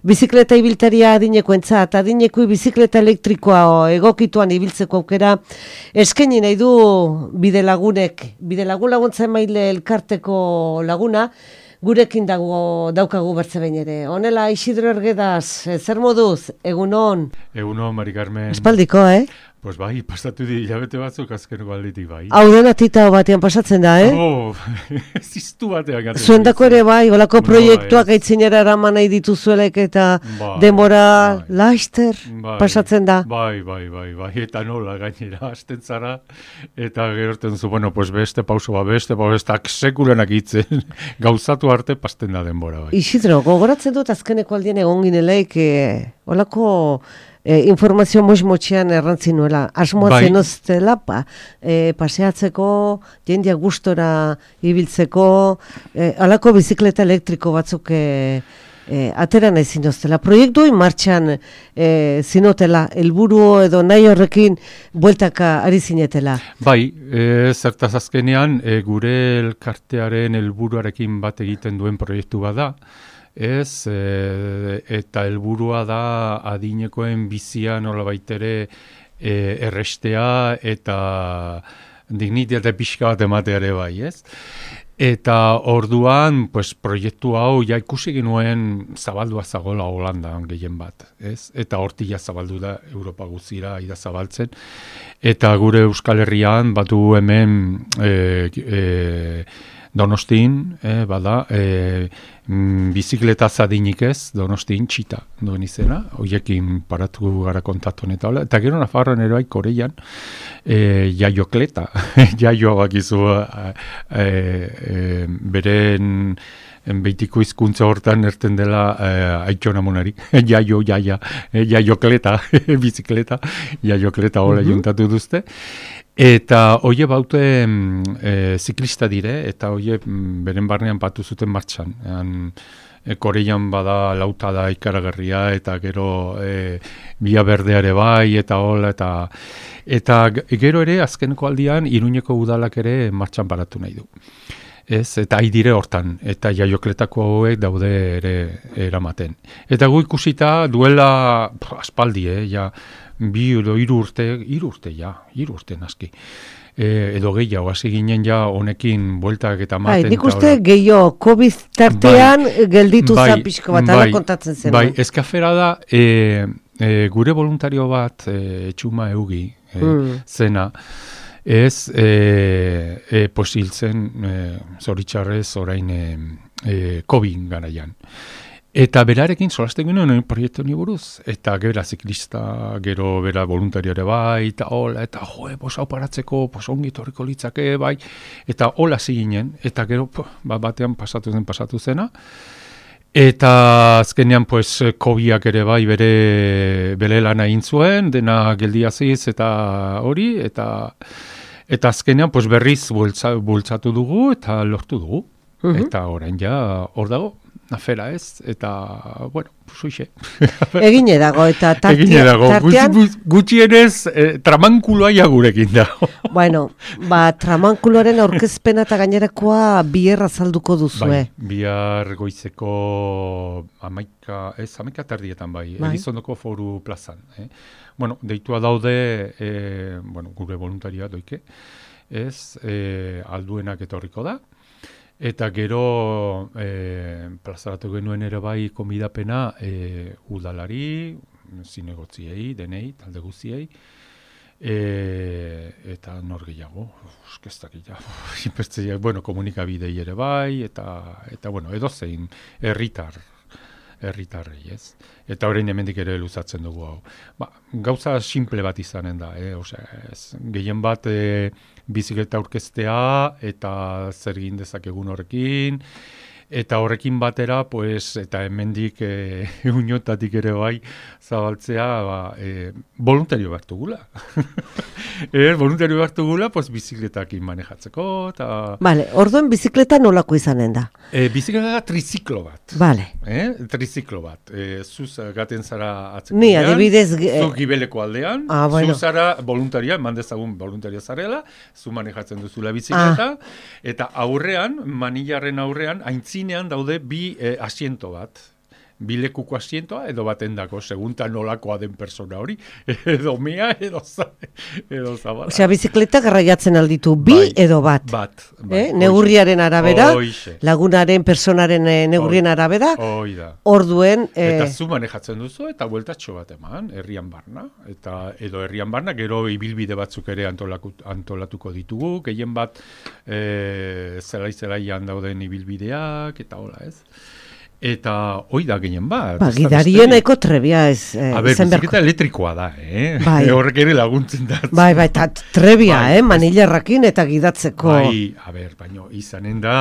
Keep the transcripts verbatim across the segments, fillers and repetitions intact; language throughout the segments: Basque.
bizikleta ibiltaria adinekoentzat, adinekui bizikleta elektrikoa egokituan ibiltzeko aukera eskaini nahi du Bidelagunek, Bidelagun laguntza emaile elkarteko laguna, gurekin dago daukagu bertze behin ere. Honela, Isidro Ergedaz, zer moduz, egunon? Egunon, Mari Carmen. Espaldiko, eh? Pues bai, pasatu di hilabete batzuk azkeneko alditik bai. Hau dena tita batean pasatzen da, eh? Oh, ziztu batean gaten. Zuendako ere bai, olako No, proiektuak ez. gaitzinera eraman nahi dituzuelek eta Bai, denbora bai. laster Bai, pasatzen da. Bai, bai, bai, bai, eta nola gainera, hasten zara, eta gerorten zu, bueno, pues beste pauso bat, beste pauso, beste sekulenak itzen, gauzatu arte pasten da denbora bai. Isidro, gogoratzen dut azkeneko aldien egon gineleik, eh, olako eh, informazio moz-motxean errantzi nuela. Asmoa Bai. zenoztela, pa, eh, paseatzeko, jendia gustora ibiltzeko, eh, alako bizikleta elektriko batzuk eh, eh, atera nahi zinoztela. Proiektu hori martxan eh, zinotela, helburu edo nahi horrekin bueltaka ari zinetela. Bai, e, zertaz azkenean, e, gure elkartearen helburuarekin bat egiten duen proiektu bada, ez, e, eta helburua da adinekoen bizia nolabait ere e, errestea eta dignitate pixka bat ematea ere bai, ez? Eta orduan, pues, proiektu hau ja ikusi genuen zabaldua zagola Holandan gehien bat, ez? Eta hortik ja zabaldu da Europa guztira ida zabaltzen. Eta gure Euskal Herrian batu hemen e, e, Donostin, eh, bada, eh, mm, bizikleta zadinik ez, Donostin txita duen izena, hoiekin paratu gara kontaktu eta hola, eta gero Nafarroan ere bai Koreian, eh, jaiokleta, jaioa bakizu eh, eh, beren beitiko hizkuntza hortan erten dela eh, aitxona monari, jaio, jaia, eh, jaiokleta, bizikleta, jaiokleta hola Mhm. juntatu duzte. Eta hoie baute e, ziklista dire, eta hoie mm, beren barnean batu zuten martxan. Ean, e, Koreian bada lauta da ikaragarria, eta gero e, Bia Berdeare bai, eta hola, eta, eta g- gero ere azkeneko aldian Iruñeko udalak ere martxan paratu nahi du. Ez, eta aidire hortan, eta jaiokletako hauek daude ere eramaten. Eta gu ikusita duela pff, aspaldi, eh, ja, bi edo hiru urte, hiru urte ja, hiru urte naski. E, edo gehiago, hasi ginen ja honekin bueltak eta Bai, maten. nik eta uste hola. gehiago, COVID tartean gelditu Bai, za pixko bat, ala bai, kontatzen zen. Bai, eskafera da, e, e, gure voluntario bat, e, Txuma Eugi, e, Mm. zena, ez, e, e, posiltzen, e, zoritxarrez orain e, e, COVID garaian. Eta berarekin solasten genuen proiektu honi buruz, eta gero ziklista, gero bera voluntariare bai, eta hola, eta joe, bos hau paratzeko, bos ongi torriko litzake, bai, eta hola ziginen, eta gero po, ba, batean pasatu zen, pasatu zena, eta azkenean, pues, kobiak ere bai bere, bere lana egin zuen, dena geldiaziz eta hori, eta eta azkenean, pues, berriz bultza, bultzatu dugu, eta lortu dugu. Mhm. Eta orain ja hor dago, afera ez, eta, bueno, suixe. Egine dago, eta tartia, Egine dago, tartean, gutxi- gutxienez eh, tramankuloa ja gurekin dago. bueno, ba, tramankuloaren aurkezpena eta gainerakoa bier azalduko duzu, Bai, eh? bihar goizeko amaika, ez, amaika tardietan bai, Bai. Elizondoko foru plazan. Eh? Bueno, deitua daude, eh, bueno, gure voluntaria doike, ez, eh, alduenak etorriko da, eta gero eh, plazaratu genuen ere bai konbidapena eh, udalari, zinegotziei, denei, talde guztiei, e, eta nor gehiago, eskestak ja, bueno, komunikabidei ere bai, eta, eta bueno, edozein herritar, herritarrei, ez? Eta orain hemendik ere luzatzen dugu hau. Ba, gauza simple bat izanen da, eh? Osea, ez, gehien bat e, bizikleta aurkeztea eta zer egin dezakegun horrekin, eta horrekin batera, pues, eta hemendik e, uinotatik ere bai zabaltzea, ba, e, voluntario bat dugula. e, voluntario bat dugula, pues, bizikletakin manejatzeko, eta... Vale, orduen bizikleta nolako izanen da? E, bizikleta da triziklo bat. Vale. Eh? Triziklo bat. E, zuz gaten zara atzeko Ni, aldean, adibidez, eh, zu gibeleko aldean, Ah, bueno. zu zara voluntaria, mandezagun voluntaria zarela, zu manejatzen duzula bizikleta, eta aurrean, manillarren aurrean, aintzinean daude bi eh, asiento bat. bilekuko asientoa edo batendako, segunta nolakoa den persona hori, edo mea, edo, za, edo zabala. Osea, bizikleta garraiatzen alditu bi bai, edo bat. Bat. Bai, eh? Neurriaren arabera, oixe. Lagunaren, personaren eh, neurrien arabera, orduen... Eh... Eta zu manejatzen duzu, eta bueltatxo bat eman, herrian barna, eta edo herrian barna, gero ibilbide batzuk ere antolatuko ditugu, gehien bat e, zelai-zelaian dauden ibilbideak, eta hola ez. Eta hoi da gehien bat. Ba, gidarien eko trebia ez. Eh, A ber, bizikleta elektrikoa da, eh? Bai. Horrek ere laguntzen da. Bai, bai, eta trebia, bai, eh? Manilarrakin eta gidatzeko. Bai, a ber, baino, izanen da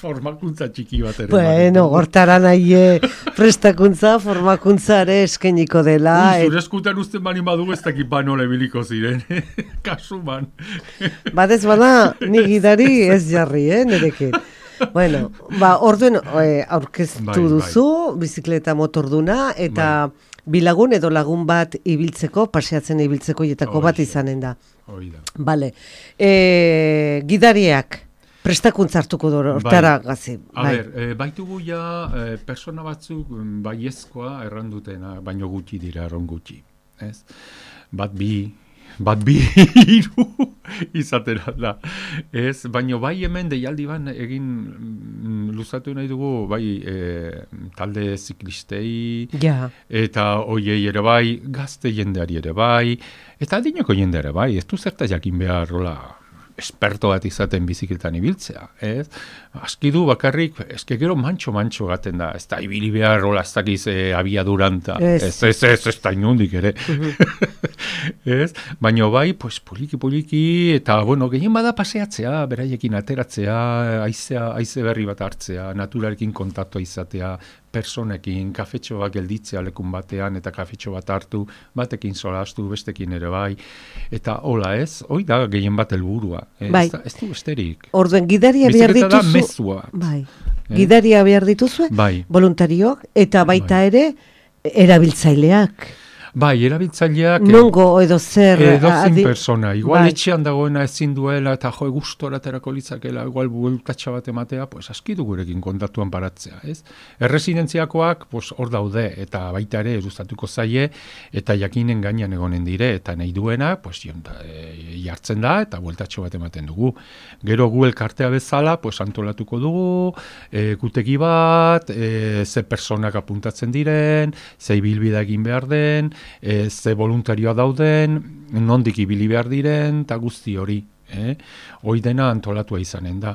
formakuntza txiki bat ere. Bueno, hortara nahi prestakuntza, formakuntza ere eskeniko dela. Ui, zure eskutan usten bani badugu ez dakit banola ebiliko ziren. Kasuman. Badez bada, ni gidari ez jarri, eh? Nerekin. Bueno, ba, orduen e, aurkeztu bai, duzu, bai. Bizikleta motorduna, eta bai. Bilagun edo lagun bat ibiltzeko, paseatzen ibiltzeko jetako bat izanen da. Hoi da. Bale. E, gidariak, prestakuntza hartuko dut, hortara bai. Gazi. A bai. ber, e, baitugu ja, e, persona batzuk baiezkoa errandutena, baino gutxi dira, erron gutxi. Ez? Bat bi... bat bi hiru izatera da. Ez, baino bai hemen deialdi ban egin luzatu nahi dugu bai e, talde ziklistei ja. Eta hoiei ere bai, gazte jendeari ere bai, eta adineko jende ere bai, ez du zerta jakin behar rola esperto bat izaten bizikletan ibiltzea, ez? Aski du bakarrik, eske gero mantxo-mantxo gaten da, ez da ibili behar rola ez dakiz e, abiaduranta, ez, ez, ez, ez da inundik ere. Ez? Baina bai, pues, poliki-poliki, eta bueno, gehien bada paseatzea, beraiekin ateratzea, aizea, aize berri bat hartzea, naturarekin kontaktua izatea, personekin, kafetxo bat gelditzea lekun batean, eta kafetxo bat hartu, batekin solastu, bestekin ere bai, eta hola ez, hoi da gehien bat helburua, bai. ez, ez du besterik. Orduen, gidaria behar dituzu... Bizikleta da mezua. Bai. Eh? Gidaria behar dituzu, bai. Voluntariok, eta baita bai. Ere, erabiltzaileak. Bai, erabiltzaileak... Nongo edo zer... Edo zin persona. Igual bai. Etxean dagoena ezin duela eta jo gustora terako litzakela, igual bueltatxa bat ematea, pues aski du gurekin kontatuan paratzea, ez? Erresidentziakoak, pues hor daude, eta baita ere eruztatuko zaie, eta jakinen gainean egonen dire, eta nahi duena, pues jonta, e, jartzen da, eta bueltatxo bat ematen dugu. Gero gu elkartea bezala, pues antolatuko dugu, e, gutegi bat, e, ze personak apuntatzen diren, ze ibilbide egin behar den, E, ze voluntarioa dauden, nondik ibili behar diren, eta guzti hori. Eh? Hoi dena antolatua izanen da.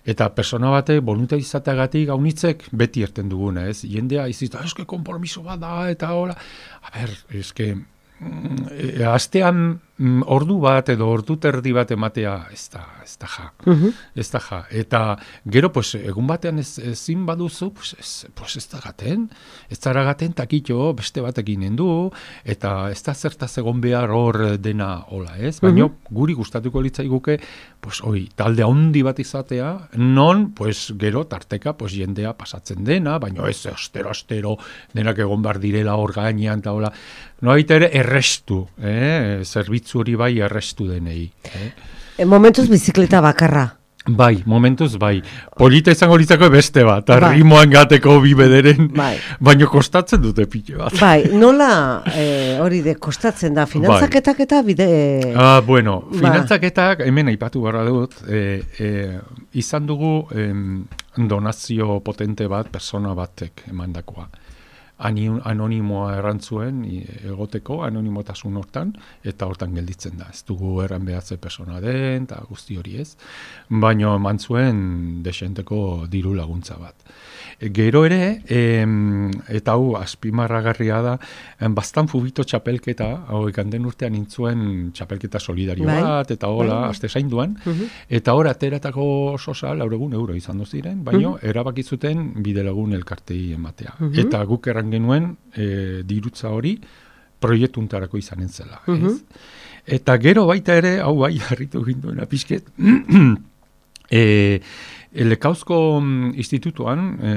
Eta persona bate, voluntario izateagatik gaunitzek beti erten duguna, ez? Jendea izita, eske konpromiso bat da, eta hola. A ber, eske, mm, astean mm, ordu bat edo ordu terdi bat ematea, ez da, ez da ja. Uh-huh. Ez da ja. Eta gero, pues, egun batean ez, ezin baduzu, pues ez, pues ez da gaten. Ez zara gaten takitxo beste batekin endu, eta ez da zertaz egon behar hor dena hola, ez? Baina uh-huh. guri gustatuko litzaiguke, pues, oi, talde handi bat izatea, non, pues, gero tarteka, pues, jendea pasatzen dena, baina ez, astero-astero denak egon behar direla hor gainean, eta hola, no baita ere errestu, eh? Zerbitzu hori bai errestu denei. Eh? E, momentuz bizikleta bakarra. Bai, momentuz bai. Polita izango litzako beste bat, bai. Rimoan gateko bi bederen, bai. Baina kostatzen dute pile bat. Bai, nola e, hori de kostatzen da, finantzaketak bai. Eta bide... Ah, bueno, ba. Finantzaketak, hemen aipatu barra dut, e, e, izan dugu em, donazio potente bat, persona batek emandakoa. Anonimoa errantzuen egoteko, anonimotasun hortan, eta hortan gelditzen da. Ez dugu erran behatze persona den, eta guzti hori ez. Baina eman zuen desenteko diru laguntza bat. Gero ere, em, eta hau azpimarragarria da, bastan fubito txapelketa, hau ekanden urtean intzuen txapelketa solidario bai. Bat, eta hola, bai. Aste zainduan, uh-huh. Eta hor ateratako sosa, lauregun euro izan doziren, baina uh-huh. erabakizuten bidelagun elkartei ematea. Uh-huh. Eta guk erran genuen e, dirutza hori proiektuntarako izanen zela. Uh-huh. Ez? Eta gero baita ere, hau bai, harritu ginduena pixket, e, Lekauzko institutuan e,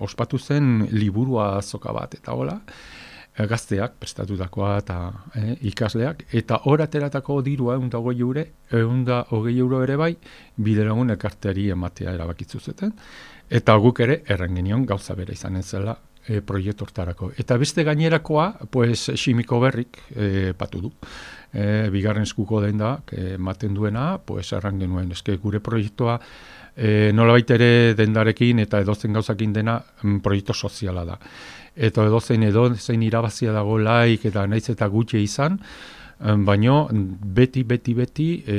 ospatu zen liburua azoka bat, eta hola, gazteak prestatutakoa eta e, ikasleak, eta hor ateratako dirua egun da hogei euro, egun da hogei euro ere bai, bidelagun elkarteari ematea erabakitzu zuten, eta guk ere erren genion gauza bera izanen zela, e, proiektu hortarako. Eta beste gainerakoa, pues, Ximiko Berrik e, patu du. E, bigarren eskuko den da, ematen duena, pues, erran genuen, eske gure proiektua e, nolabait ere dendarekin eta edozen gauzakin dena m, proiektu soziala da. Eta edozein edozein irabazia dago laik eta naiz eta gutxi izan, baino beti, beti, beti, e,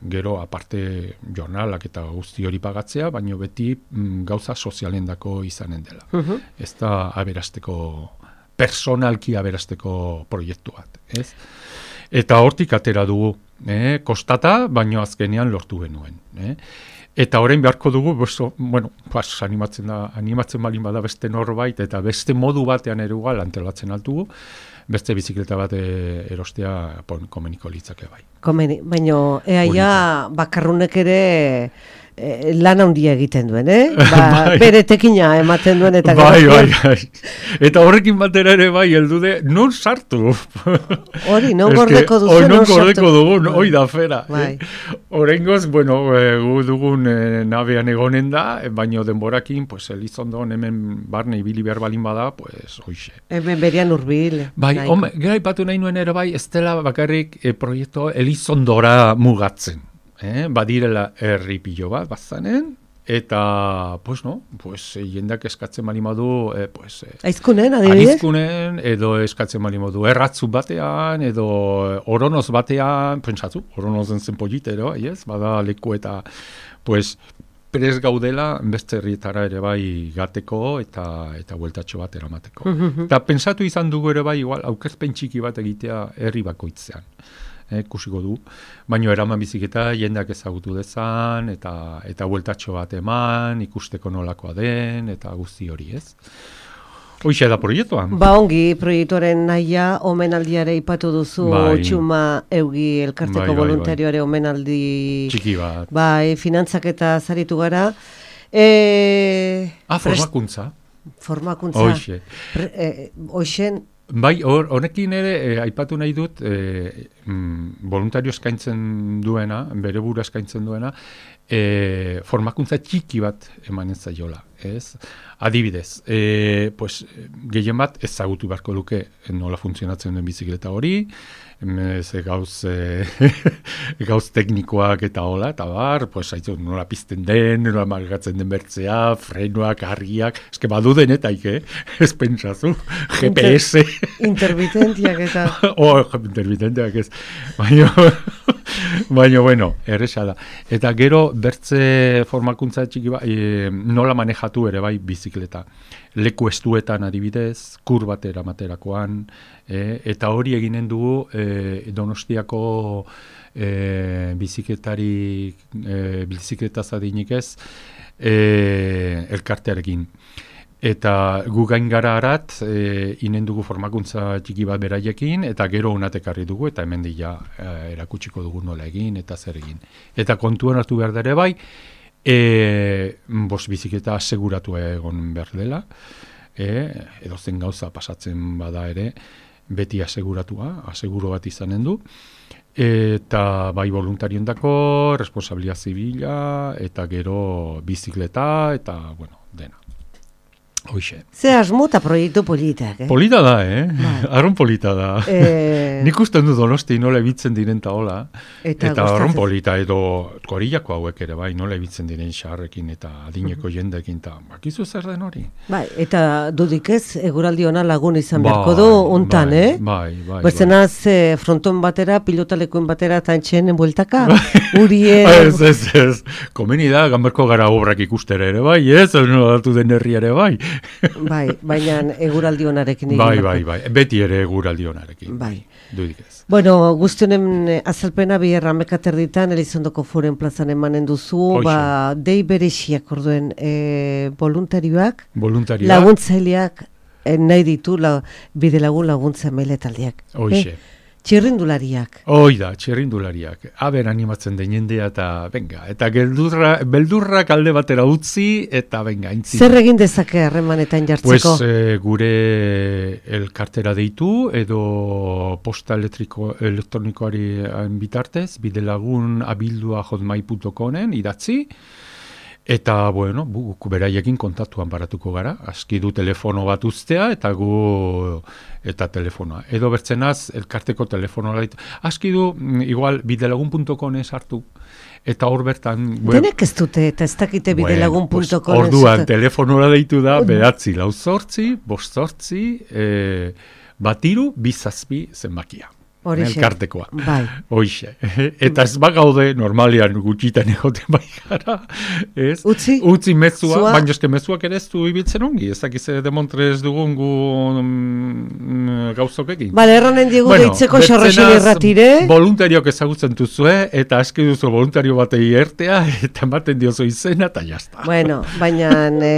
gero aparte jornalak eta guzti hori pagatzea, baino beti m, gauza sozialendako izanen dela. Uh-huh. Ez da aberasteko, personalki aberasteko proiektu bat, ez? Eta hortik atera dugu, eh? Kostata, baino azkenean lortu genuen. Eh? Eta orain beharko dugu, beso, bueno, pas, animatzen da, animatzen balin bada beste norbait, eta beste modu batean ere ugal antolatzen altugu, beste bizikleta bat e, erostea pon, komeniko litzake bai. Komeni, baino eaia bakarrunek ere e, lan handia egiten duen, eh? Ba, bai. Bere tekina ematen duen eta bai, bai, bai. Eta horrekin batera ere bai, heldude, non sartu? Hori, non gordeko duzu, non, non sartu? Gordeko dugu, bai. Hoi da fera. Bai. Eh? Horrengoz, bueno, e, gu dugun e, nabean egonen da, baino denborakin, pues, Elizondon hemen barne ibili behar balin bada, pues, hoxe. Hemen berian urbil. Bai, home, gara ipatu nahi nuen ere bai, ez dela bakarrik e, proiektu Elizondora mugatzen. Eh, badirela herri pilo bat, bazanen, eta, pues, no, pues, jendeak eskatzen balimadu, eh, pues, eh, aizkunen, adibidez? Aizkunen, edo eskatzen balimadu, erratzu batean, edo oronoz batean, pentsatu, oronozen zen politero, ez, bada leku eta, pues, prez gaudela, beste herrietara ere bai gateko, eta eta bueltatxo bat eramateko. Eta pentsatu izan dugu ere bai, igual, aukerzpen txiki bat egitea herri bakoitzean. Eh, kusiko du, baino eraman biziketa jendeak ezagutu dezan, eta eta bueltatxo bat eman, ikusteko nolakoa den, eta guzti hori, ez? Hoixe da proiektuan. Ba ongi, proiektuaren nahia, omenaldiare ipatu duzu, bai. Txuma Eugi elkarteko bai, bai, voluntarioare bai. Omenaldi... Txiki bat. Bai, finantzak eta zaritu gara. E... Ah, formakuntza. Formakuntza. Hoixe. E, Hoixen... Bai, honekin ere, eh, aipatu nahi dut, eh, mm, voluntario eskaintzen duena, bere buru eskaintzen duena, eh, formakuntza txiki bat emanen zaiola, ez? Adibidez, eh, pues, gehien bat ezagutu beharko luke nola funtzionatzen den bizikleta hori, ze gauz, e, gauz teknikoak eta hola, eta bar, pues, haitu, nola pizten den, nola margatzen den bertzea, frenoak, argiak, eske badu denetaik, eh? Ez pentsazu, G P S. Inter, intermitentiak eta... oh, intermitentiak ez. Baina, baina, bueno, erresa da. Eta gero, bertze formakuntza txiki ba, e, nola manejatu ere bai bizikleta. Leku estuetan adibidez, kurbatera materakoan, e, eta hori eginen dugu e, Donostiako e, bizikletari, e, bizikleta zadinik ez, e, elkartearekin. Eta gu gain gara arat, e, inen dugu formakuntza txiki bat beraiekin, eta gero unatekarri dugu, eta hemen dira e, erakutsiko dugu nola egin, eta zer egin. Eta kontuan hartu behar dere bai, E, bos bizikleta aseguratu egon behar dela, e, edo zen gauza pasatzen bada ere, beti aseguratua, aseguro bat izanen du, eta bai voluntariondako, responsabilidad zibila, eta gero bizikleta, eta, bueno, dena. Hoixe. Ze asmuta proiektu politak, eh? Polita da, eh? Arron polita da. E... Nik usten du Donosti nola ebitzen diren ta hola. Eta, eta arron polita, edo korillako hauek ere, bai, nola ebitzen diren xarrekin eta adineko uh-huh. jendekin, eta bakizu zer den hori. Bai, eta dudik ez, eguraldi ona lagun izan beharko du, untan, bai, eh? Bai, bai. Bezenaz, bai. Fronton batera, pilotalekoen batera, eta entxenen bueltaka, urien... ez, ez, ez. Komeni da, gamberko gara obrak ikustere ere, bai, ez, nolatu den herri ere, bai. Bai, baina eguraldi onarekin. Bai, bai, bai, beti ere eguraldi onarekin. Bai. Dudik ez. Bueno, guztionen azalpena biherra mekaterditan, Elizondoko Foren plazan emanen duzu, Hoxe. Ba, dei berexiak orduen e, voluntarioak, voluntarioak, laguntzaileak e, nahi ditu, la, bide lagun laguntza mailetaldiak. Hoxe. Eh? Txirrindulariak. Hoi da, txirrindulariak. Aber animatzen den jendea eta, venga, eta geldurra, beldurrak alde batera utzi, eta venga, intzi. Zer egin dezake harremanetan jartzeko? Pues, e, gure elkartera deitu, edo posta elektriko, elektronikoari bitartez, bidelagun abildua hotmail punto comen idatzi, Eta, bueno, guk beraiekin kontaktuan baratuko gara, aski du telefono bat uztea, eta gu, eta telefonoa. Edo bertzenaz, elkarteko telefonoa ditu. Aski du, igual, bidelagun puntu com sartu, eta hor bertan... Denek ez dute, eta ez dakite bidelagun puntu com. Bueno, pues, orduan, telefonora deitu da, bedatzi, lau zortzi, bost zortzi, e, batiru, bizazpi zenbakia. Elkartekoa. Bai. Hoixe. Eta ez bagaude normalian gutxitan egoten bai gara. Ez? Utzi? Utzi mezua, baina eske mezuak ere ez du ibiltzen ongi. Ez dakiz demontrez dugun gu mm, gauzokekin. Bale, erranen diegu bueno, deitzeko xarraxin irratire. Voluntariok ezagutzen duzue, eta aski duzu voluntario batei ertea, eta ematen diozu izena, eta jazta. Bueno, baina e,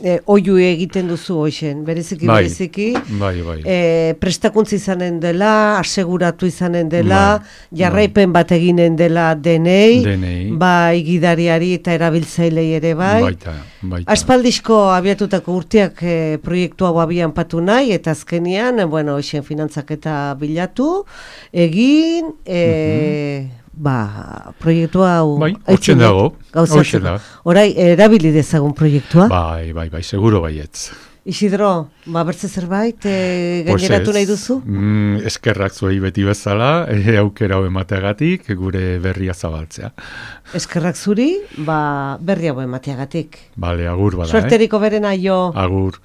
e, oiu egiten duzu hoixen, bereziki, bai, bereziki. Bai, bai. E, prestakuntza izanen dela, aseguratu izanen dela, ba, jarraipen ba. bat eginen dela denei, denei, bai gidariari eta erabiltzailei ere bai. Baita, baita. Aspaldizko abiatutako urteak e, proiektu hau abian patu nahi, eta azkenian, bueno, esen finantzaketa bilatu, egin, e, mm-hmm. ba, proiektu hau... Bai, hortzen dago, hortzen dago. Orai, erabili dezagun proiektua? Bai, bai, bai, seguro baietz. Isidro, ba, bertze zerbait, e, gaineratu nahi duzu? Mm, eskerrak zuei beti bezala, e, aukera hau emateagatik, gure berria zabaltzea. Eskerrak zuri, ba, berri hau emateagatik. Bale, agur bada, Suerteriko berena jo. Agur.